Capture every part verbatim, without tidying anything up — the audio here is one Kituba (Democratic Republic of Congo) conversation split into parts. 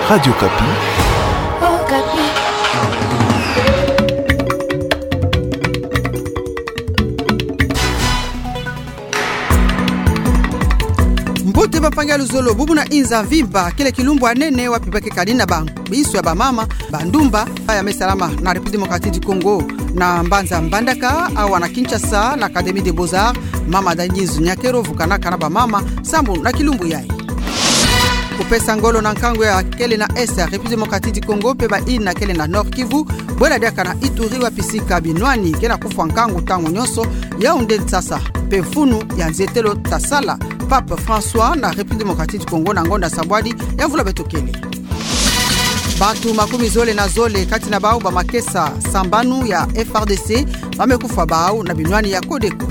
Radio Okapi. Mbote bampangi ya luzolo, bubu na inza mvimba, kele kilumbu ya nene wapi ba ke kani na ba binso ya bamama, bandumba, ya me salama na République Démocratique du Congo, na mbanza Mbandaka, awa na Kinshasa, na Académie des Beaux-Arts, mama Denise Nyakero vukanaka na bamama sambu na kilumbu yayi. Kupesa ngolo na nkangu ya kele na Est ya République Démocratique du Congo, mpe bayina kele na Nord-Kivu, bwela diaka na Ituri wapi sika binwani ke na kufwa nkangu ntangu nyonso, Yaoundé nsasa, mpe mfunu ya nzietelo tasala Pape François na République Démocratique du Congo na ngonda sabwadi ya mvula beto kele. Bantu makumi zole na zole kati na bau bamakesa sambanu ya F R D C, ba me kufwa bau na binwani ya Codeco.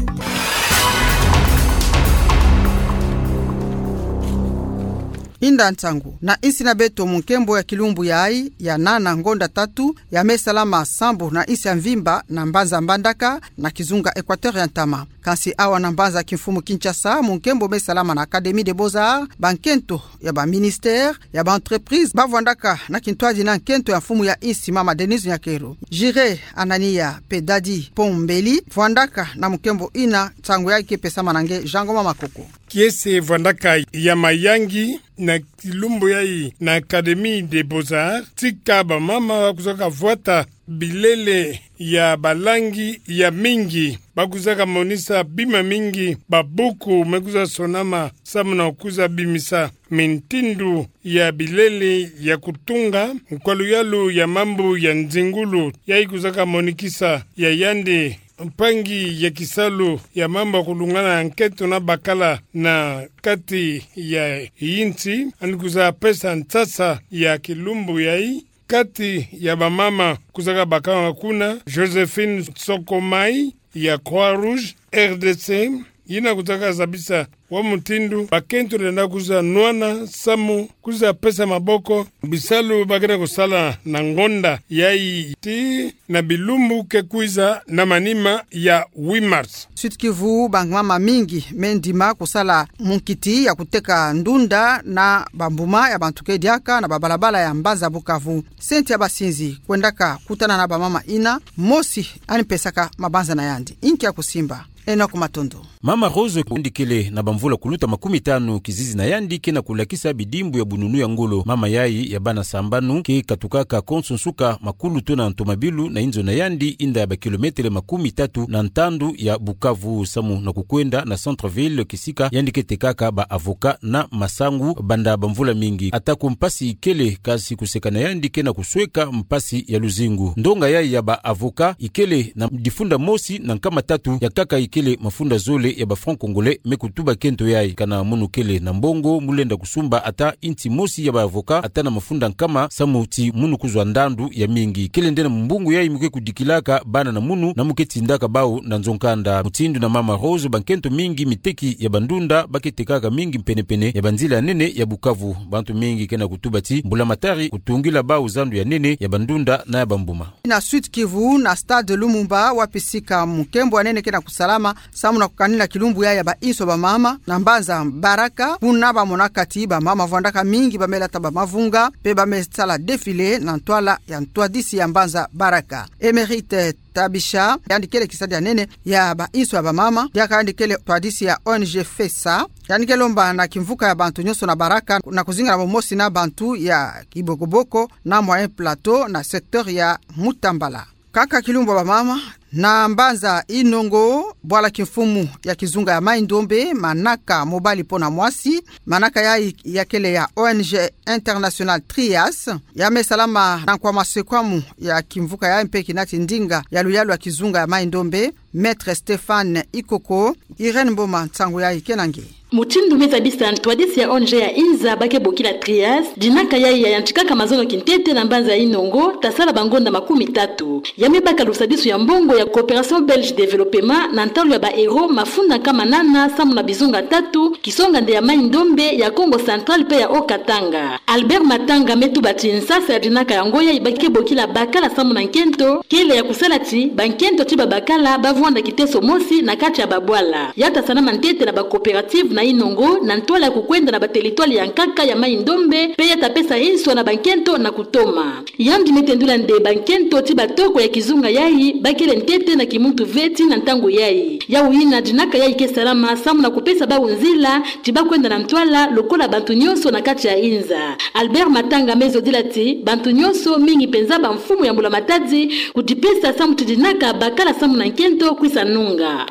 Inda nsangu na insi na beto mu nkembo ya kilumbu yayi ya nana ngonda tatu, ya me salama sambu na insi ya mvimba na mbanza Mbandaka na kizunga Équateur ya ntama. Kansi awa na mbanza kimfumu Kinshasa, mu nkembo me salama na Académie des Beaux-Arts, bankento ya baministère, ya baentreprise, bavwandaka na kintwadi na nkento ya mfumu ya insi mama Denise Nyakero. Jiré Anania mpe Dadi Pombeli vwandaka na mu nkembo ina, nsangu yayi ke pesama na nge Jean Ngoma Makoko. Kiese vwandaka ya mayangi na kilumbu yayi na Académie des Beaux-Arts, tika bamama ba kuzaka vwata bilele ya balangi ya mingi, ba kuzaka monisa bima mingi, babuku me kuza sonama, samu na kuza bimisa mintindu ya bilele ya kutunga, nkwaluyalu ya mambu ya nzingulu, yayi kuzaka monikisa ya yandi mpangi ya kisalu ya mambu ya kulungana nkento na bakala na kati ya insi, yandi kuza pesa nsasa ya kilumbu yayi, kati ya bamama kuzaka bakama kuna, Joséphine Sokomai ya Croix-Rouge R D C, yina kuzaka zabisa wa mutindu bakento lenda kuza nwana samu kuza pesa maboko bisalu ba ke na kusala na ngonda yayi tii na bilumbu ke kwiza na manima ya huit mars. Sud-Kivu, bamama mingi me ndima kusala munkiti ya kuteka ndunda na bambuma ya bantu ke diaka na babalabala ya mbanza Bukavu. Senti ya basinzi kwendaka kutana na bamama ina, mosi yandi pesaka mabanza na yandi. Inki ya kusimba? Enoch Matondo. Mama Rose yandi kele na bamvula kuluta makumi tanu, kizizi na yandi ke na kulakisa bidimbu ya bununu ya ngolo. Mama yayi ya bana sambanu ke katukaka konso nsuka makulu tona ntomabilu na inzo na yandi, inda ya bakilometele makumi tatu na ntandu ya Bukavu, samu na kukwenda na centre-ville kisika yandi ke tekaka ba avocat na masangu banda bamvula mingi. Atako mpasi ikele, kansi kuseka na yandi ke na kusweka mpasi ya luzingu. Ndonga yayi ya ba avocat ikele na difunda mosi na nkama tatu, ya nkaka ikele mafunda zole ya ba francs congolais, me kutuba nkento yayi: kana munu kele na mbongo, mu lenda kusumba ata inti mosi ya ba avocat ata na mafunda nkama, samu ti munu kuzwa ndandu ya mingi. Kele nde na mbungu yayi mu ke kudikilaka bana na munu, na mu ke tindaka bau na nzo nkanda. Mutindu na mama Rose, bankento mingi miteki ya bandunda ba ke tekaka mingi mpene-mpene ya banzila ya nene ya Bukavu. Bantu mingi ke na kutuba ti mbulamatari kutungila bau zandu ya nene ya bandunda na ya bambuma. Na Sud-Kivu, na stade Lumumba, wapi sika munkembo wa nene ke na kusalama, samu na kukanina kilumbu yayi ya bainso ya bamama na mbanza Baraka, kuna ba monaka ti bamama vwandaka mingi ba me lata bamavunga, mpe ba me sala défilé na ntwala ya ntwadisi ya mbanza Baraka. Émérite Tabisha, yandi kele kisadidi ya nene ya bainso ya bamama, diaka yandi kele ntwadisi ya O N G Fesa, yandi ke lomba na kimvuka ya bantu nyonso na Baraka na kuzingana bomosi na bantu ya Kibokoboko na Moyen Plateau na secteur ya Mutambala. Kaka kilumbu ya bamama, na mbanza Inongo, bwala kimfumu ya kizunga ya Mai-Ndombe, manaka mobali mpo na mwasi, manaka yayi ya kele ya O N G International Trias, ya me salama na nkwa masekwamu ya kimvuka yayi mpe kina ti ndinga ya luyalu ya kizunga ya Mai-Ndombe, Maître Stéphane Ikoko. Irène Mboma, nsangu yayi ke na nge. Mutindu me zabisa ntwadisi ya O N G ya inza ba ke bokila Trias, dinaka yayi ya yantikaka mazono kintete na mbanza ya Inongo, tasala bangonda makumi tatu. Ya me baka lusadisu ya mbongo ya Coopération Belge Développement na ntalu ya ba euro mafunda nkama nana samu na bizunga tatu, kisonga nde ya Mai-Ndombe, ya Kongo Central mpe ya Haut-Katanga. Albert Matanga me tuba ti nsasa ya dinaka yango yayi ba ke bokila bakala samu na nkento, kele ya kusala ti bankento ti babakala ba mwanda kiteso mosi na kati ya babwala. Ya ta salama ntete na ba coopérative na inongo, na ntwala ya kukwenda na ba territoire ya nkaka ya Maï-Ndombe, mpe ya ta pesa hinswa na bankento na kutoma. Yandi me tendula nde bankento ti batoko ya kizunga yayi bakele ntete na kimuntu ve ti na ntangu yayi. Yawu yina dinaka yayi ke salama samu na kupesa bawu nzila ti bakwenda na ntwala lokola bantu nyonso na kati ya inza. Albert Matanga me zodila ti bantu nyonso, mingi penza bamfumu ya Mbula Matadi, kudipesa samu ti dinaka bakala samu na nkento kwisa nunga.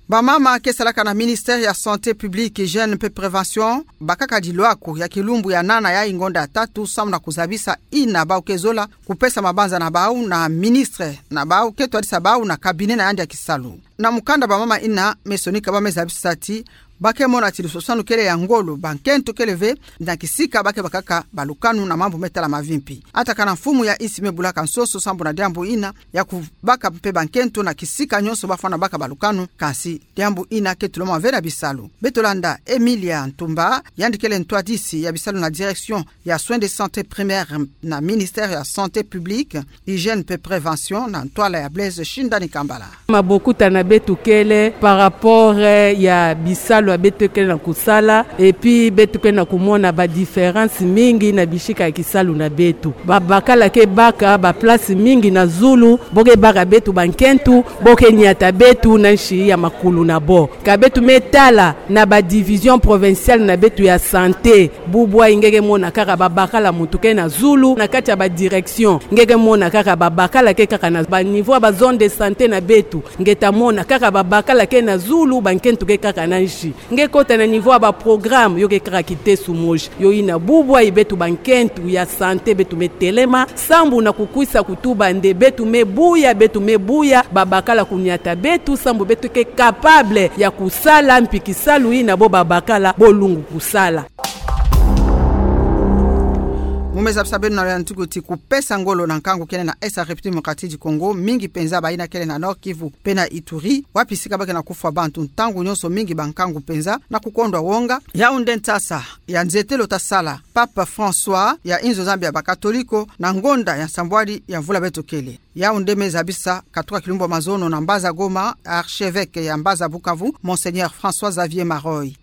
Bamama ke salaka na ministère ya santé publique, hygiène mpe prévention bakaka dilwaku ya kilumbu ya nana yayi ngonda ya tatu samu na kuzabisa ina bawu ke zola kupesa mabanza na bawu na ministre na bawu ke twadisa bawu na cabinet na yandi ya kisalu. Na mukanda bamama ina me sonika ba me zabisa ti ba ke mona ti lusosanu kele ya ngolo, bankento kele ve na kisika ba ke bakaka balukanu na mambu me tala mavimpi. Atakana mfumu ya insi me bulaka nsoso sambu na diambu ina ya kubaka mpe bankento na kisika nyonso bafwana baka balukanu, kansi diambu ina ke tulama ve na bisalu. Beto landa Emilia Ntumba, yandi kele ntwadisi ya bisalu na direction ya soins de santé primaire na ministère ya santé publique, hygiène mpe prévention na ntwala ya Blaise Shindani Kambala. Mabokuta na beto kele par rapport, eh, ya bisalu ya beto kele na kusala, et puis beto kele na kumona ba différence mingi na bisika ya kisalu na beto. Babakala ke baka ba place mingi na zulu, bo ke baka beto bankento, bo ke niata beto na nsi ya makulu na bo. Ka beto me tala na ba division provinciale na beto ya santé, bubu ayi nge ke mona kaka babakala muntu ke na zulu na kati ya ba direction. Nge ke mona kaka babakala ke kaka na ba niveau ya ba zone de santé na beto. Nge ta mona kaka babakala ke na zulu, bankento ke kaka na nsi. Nge kota na niveau ya ba programme, yo ke kaka kiteso mosi. Yo ina bubu ayi beto bankento ya santé beto me telema sambu na kukwisa kutuba nde beto me buya, beto me buya babakala kuniata beto sambu beto ke capable ya kusala mpi kisalu ina bo babakala bo lungu kusala. Mu me zabisa beno na luyantiko ti kupesa ngolo na nkangu kele na Est ya République Démocratique du Congo, mingi penza bayina kele na Nord-Kivu mpe na Ituri, wapi sika ba ke na kufwa bantu ntangu nyonso, mingi bankangu penza na kukondwa wonga. Yawu nde nsasa ya nzetelo ta sala Papa François ya inzo Nzambi ya bakatoliko na ngonda ya nsambwadi ya mvula beto kele. Yawu nde me zabisa katuka kilumbu ya mazono na mbaza Goma, archevêque ya mbaza Bukavu, Monseigneur François Xavier Maroy.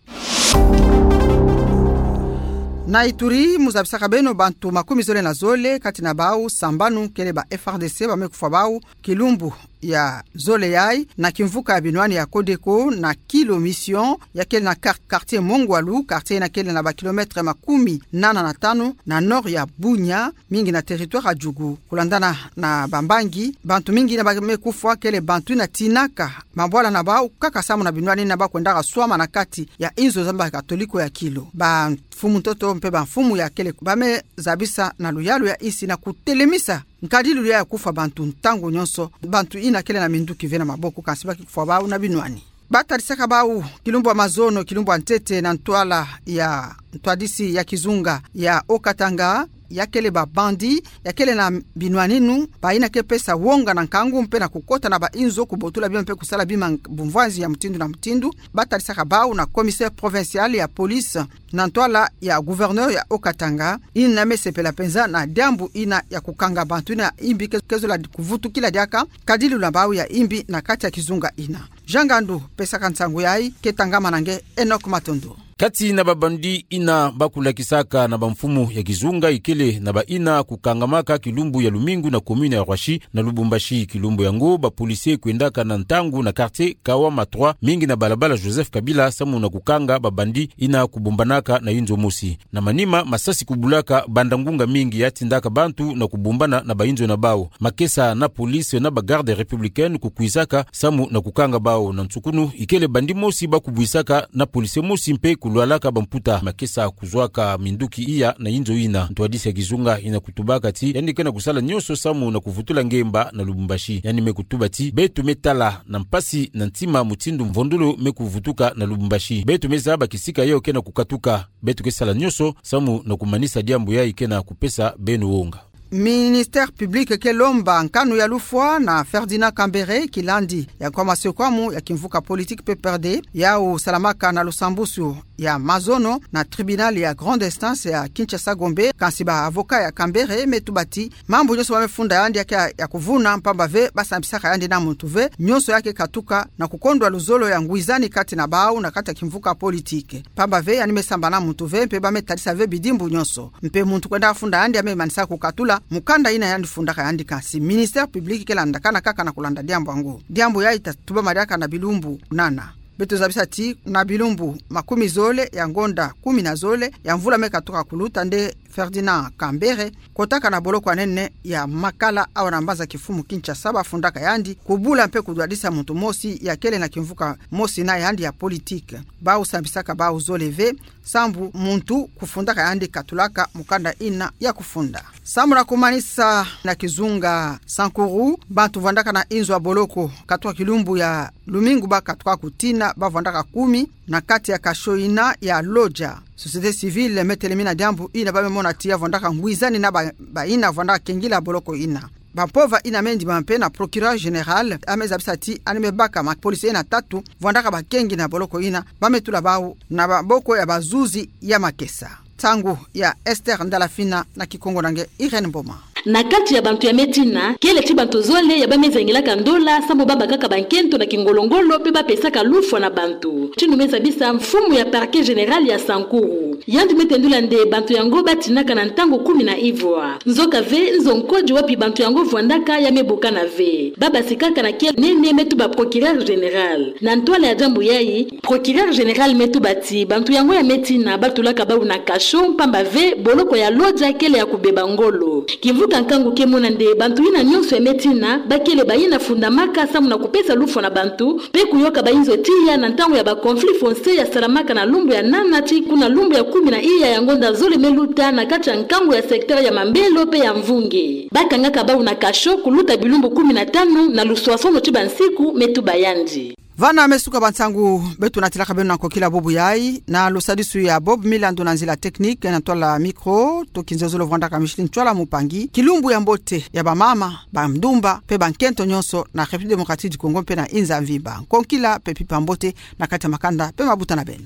Na Ituri, mu zabisaka beno bantu makumi zole na zole, kati na bawu sambanu kele ba F R D C, ba me kufwa bawu kilumbu ya zole yayi na kimvuka ya binwani ya Codeco na Kilo Mission, ya kele na quar-, quartier Mongwalu, quartier yina kele na ba kilomètre makumi nana na tanu na nord ya Bunia, mingi na territoire ya Djugu. Kulandana na bambangi, bantu mingi yina ba me kufwa kele bantu yina tinaka mabwala na bawu kaka samu na binwani yina ba kwendaka swama na kati ya inzo Nzambi ya katoliko ya Kilo. Bamfumu ntoto mpe bamfumu ya kele ba me zabisa na luyalu ya insi na kutelemisa nkadilu ya kufwa bantu ntangu nyonso, bantu yina kele na minduki ve na maboko, kansi ba ke kufwa bawu na binwani. Ba tadisaka bawu kilumbu ya mazono, kilumbu ya ntete, na ntwala ya ntwadisi ya kizunga ya Haut-Katanga, ya kele ba bandit ya kele na binwani yinu, bayina ke pesa wonga na nkangu mpe na kukota na ba inzo, kubotula bima mpe kusala bima bumvwanzi ya mutindu na mutindu. Ba tadisaka bawu na commissaire provincial ya police na ntwala ya gouverneur ya Haut-Katanga, yina me sepela penza na diambu yina ya kukanga bantu yina imbi ke-, ke zola kuvutukila diaka nkadilu na bawu ya imbi na kati ya kizunga yina. Jean Ngandu pesaka nsangu yayi, ke tangamana nge Enoch Matondo. Kati na ba bandit yina ba kulakisaka na bamfumu ya kizunga, ikele na bayina kukangamaka kilumbu ya lumingu na commune ya Roissy na Lubumbashi. Kilumbu yango ba policiers kwendaka na ntangu na quartier Kawama trois, mingi na balabala Joseph Kabila, samu na kukanga ba bandit yina kubumbanaka na inzo mosi. Na manima, masasi kubulaka banda ngunga mingi ya tindaka bantu na kubumbana na ba inzo na bawu. Makesa na police na ba garde républicaine kukwisaka samu na kukanga bawu. Na nsukunu, ikele bandit mosi ba kubwisaka na policier mosi mpe kulwalaka bamputa. Makesa kuzwaka minduki iya na inzo yina. Ntwadisi ya kizunga yina kutubaka ti yandi ke na kusala nyonso samu na kuvutula ngemba na Lubumbashi. Yandi me kutuba ti beto me tala na mpasi na ntima mutindu mvondolo me kuvutuka na Lubumbashi. Beto me zaba kisika yayi ke na kukatuka. Beto ke sala nyonso samu na kumanisa diambu yayi ke na kupesa beno wonga. Ministère public ke lomba nkanu ya lufwa na Ferdinand Kambere, kilandi ya nkwa masiokwamu ya kimvuka politique P P R D, yau salamaka na lusambusu ya mazono na tribunal ya grande instance ya Kinshasa Gombe. Kansi ba avocat ya Kambere me tuba ti mambu nyonso ba me funda yandi ya ke ya kuvuna, mpamba ve ba sambisaka yandi na muntu ve, nyonso ya ke katuka na kukondwa luzolo ya ngwizani kati na bau na kati ya kimvuka politique. Mpamba ve yandi me samba na muntu ve, mpe ba me tadisa ve bidimbu nyonso. Mpe muntu kwenda funda yandi a me manisa kukatula mukanda ina yandi fundaka yandi. Kansi ministère public ke landakana kaka na kulanda diambu yango. Diambu yayi ta tubama diaka na bilumbu nana. Beto zabisa ti na bilumbu makumi zole ya ngonda kumi na zole ya mvula me katuka kuluta nde Ferdinand Kambere kotaka na boloko ya nene ya Makala awa na mbanza kifumu Kinshasa ba fundaka yandi, kubula mpe kudwadisa muntu mosi ya kele na kimvuka mosi na yandi ya politique. Bau sambisaka bau zole ve, sambu muntu kufundaka yandi katulaka mukanda ina ya kufunda. Sambu na kumanisa, na kizunga Sankuru, bantu vwandaka na inzo ya boloko katuka kilumbu ya lumingu ba katuka kutina ba vwandaka kumi na kati ya kasho ina ya Lodja. Société civile me telemina diambu ina ba me mona ti ya vwandaka ngwizani na ba, ba ina vwandaka kengila boloko ina. Bampova ina me ndima mpe na procureur général a me zabisa ti yandi me baka mapolisi ina tatu vwandaka bakengi na boloko ina, ba me tula bau na maboko ya bazuzi ya makesa. Nsangu ya Esther Ndalafina, na Kikongo na nge Irène Mboma. Na kati ya bantu ya me tina, kele ti bantu zole ya ba me zengilaka ndola sambu ba bakaka bankento na kingolo-ngolo mpe ba pesaka lufwa na bantu. Tinu me zabisa mfumu ya parquet général ya Sankuru. Yandi me tendula nde bantu yango ba tinaka na ntangu kumi na ivwa. Nzoka ve, nzo nkodi wapi bantu yango vwandaka ya me bukana ve. Ba basikaka na kele nene, me tuba procureur général. Na ntwala ya diambu yayi, procureur général me tuba ti bantu yango ya me tina ba tulaka bau na kasho, mpamba ve boloko ya Lodja kele ya kubeba ngolo. Kimvuka nkangu ke mona nde bantu ina nyonso ya me tina ba kele ba ina fundamaka sambu na kupesa lufwa na bantu, mpe kuyoka ba inzo tiya na ntangu ya ba conflit foncier ya salamaka na lumbu ya nana tii kuna lumbu ya kumi na iya ya ngonda zole me luta na kati ya nkangu ya secteur ya Mambelo mpe ya Mvunge. Ba kangaka bau na kasho kuluta bilumbu kumi na tanu na luswasono ti bansiku, me tuba yandi. Vana me suka bansangu beto natilaka beno na nkokila bubu yayi, na lusadisu ya Bob Milandu na nzila technique, na ntwala micro to kinzozolo vwandaka Micheline Ntsoila Mupangi. Kilumbu ya mbote ya bamama, bandumba mpe bankento nyonso na République Démocratique du Congo mpe na inza mvimba. Nkokila mpe mpimpa mbote na kati ya makanda mpe mabuta na beno.